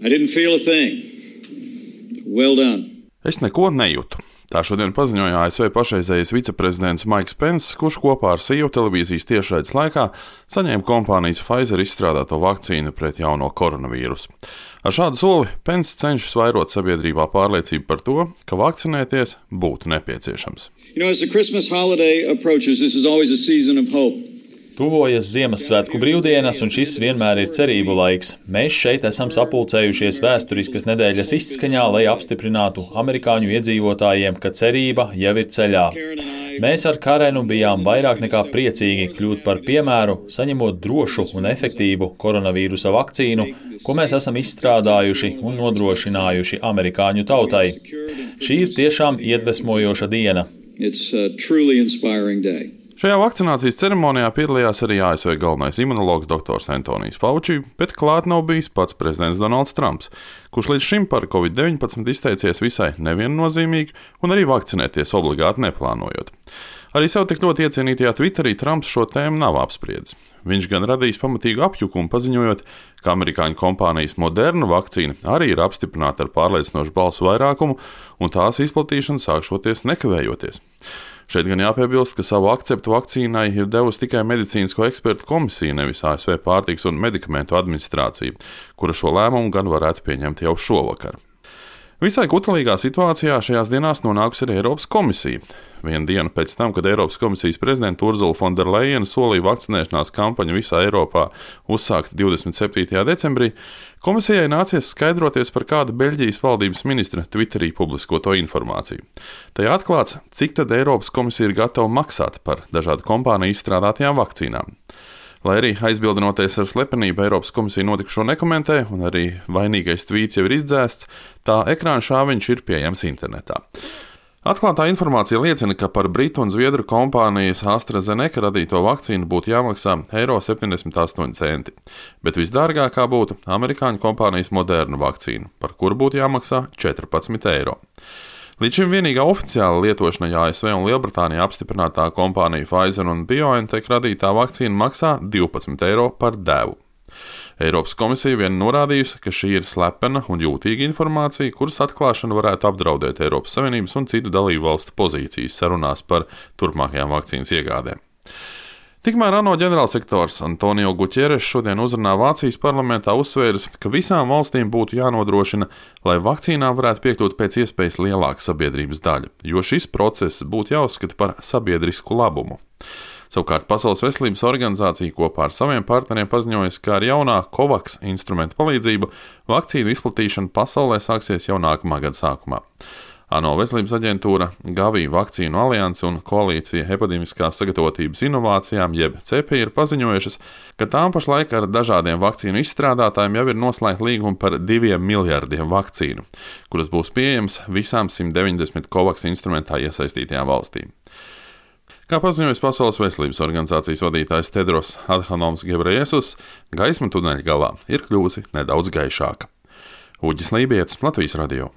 I didn't feel a thing. Well done. Es neko nejūtu. Tā šodien paziņoja ASV pašreizējais viceprezidents Maiks Pence, kurš kopā ar CEO televīzijas tiešraides laikā saņēma kompānijas Pfizer izstrādāto vakcīnu pret jauno koronavīrusu. Ar šādu soli Pence cenšas vairot sabiedrībā pārliecību par to, ka vakcinēties būtu nepieciešams. As the Christmas holiday approaches, this is always a season of hope. Tuvojas Ziemassvētku brīvdienas, un šis vienmēr ir cerību laiks. Mēs šeit esam sapulcējušies vēsturiskas nedēļas izskaņā, lai apstiprinātu amerikāņu iedzīvotājiem, ka cerība jau ir ceļā. Mēs ar Karenu bijām vairāk nekā priecīgi kļūt par piemēru, saņemot drošu un efektīvu koronavīrusa vakcīnu, ko mēs esam izstrādājuši un nodrošinājuši amerikāņu tautai. Šī ir tiešām iedvesmojoša diena. It's a truly inspiring day. Šajā vakcinācijas ceremonijā piedalījās arī ASV galvenais imunologs dr. Antonijs Fauci, bet klāt nav bijis pats prezidents Donalds Trumps, kurš līdz šim par Covid-19 izteicies visai neviennozīmīgi un arī vakcinēties obligāti neplānojot. Arī sev tik ļoti iecienītajā Twitterī Trumps šo tēmu nav apspriedzis. Viņš gan radījis pamatīgu apjukumu, paziņojot, ka amerikāņu kompānijas Moderna vakcīna arī ir apstiprināta ar pārliecinošu balsu vairākumu un tās izplatīšana sākšoties nekavējoties. Šeit gan jāpiebilst, ka savu akceptu vakcīnai ir devusi tikai medicīnisko ekspertu komisija, nevis ASV pārtikas un medikamentu administrācija, kura šo lēmumu gan varētu pieņemt jau šovakar. Visai kutelīgā situācijā šajās dienās nonākusi arī Eiropas komisija. Vienu dienu pēc tam, kad Eiropas komisijas prezidenta Ursula von der Leyena solīja vakcinēšanās kampaņu visā Eiropā uzsākt 27. decembrī, komisijai nācies skaidroties par kādu Beļģijas valdības ministra Twitterī publiskoto informāciju. Tajā atklāts, cik tad Eiropas komisija ir gatava maksāt par dažādu kompāniju izstrādātajām vakcīnām. Lai arī aizbildinoties ar slepenību, Eiropas komisija notikušo nekomentē, un arī vainīgais tvīts jau ir izdzēsts, tā ekrāna šāviņš ir pieejams internetā. Atklātā informācija liecina, ka par britu un zviedru kompānijas AstraZeneca radīto vakcīnu būtu jāmaksā €78, bet visdārgākā būtu amerikāņu kompānijas Moderna vakcīna, par kuru būtu jāmaksā €14. Līdz šim vienīgā oficiāla lietošanai ASV un Lielbritānijā apstiprinātā kompānija Pfizer un BioNTech radītā vakcīna maksā €12 par devu. Eiropas komisija vien norādījusi, ka šī ir slepena un jūtīga informācija, kuras atklāšana varētu apdraudēt Eiropas Savienības un citu dalību valstu pozīcijas sarunās par turpmākajām vakcīnas iegādēm. Tikmēr ANO ģenerālsekretārs Antonio Guterres šodien uzrunā Vācijas parlamentā uzsvēris, ka visām valstīm būtu jānodrošina, lai vakcīnām varētu piekļūt pēc iespējas lielāka sabiedrības daļa, jo šis process būtu jāuzskata par sabiedrisku labumu. Savukārt Pasaules veselības organizācija kopā ar saviem partneriem paziņojas, ka ar jaunā COVAX instrumentu palīdzību vakcīnu izplatīšana pasaulē sāksies jau nākamā gada sākumā. ANO veselības aģentūra, Gavi vakcīnu alianse un koalīcija epidemiskās sagatavotības inovācijām, jeb CEPI, ir paziņojušas, ka tām pašlaik ar dažādiem vakcīnu izstrādātājiem jau ir noslēgta līguma par 2 miljardiem vakcīnu, kuras būs pieejamas visām 190 COVAX instrumentā iesaistītajām valstīm. Kā paziņojas Pasaules veselības organizācijas vadītājs Tedros Adhanoms Ghebreyesus, gaisma tuneļa galā ir kļuvusi nedaudz gaišāka. Uģis Lībietis, Latvijas radio.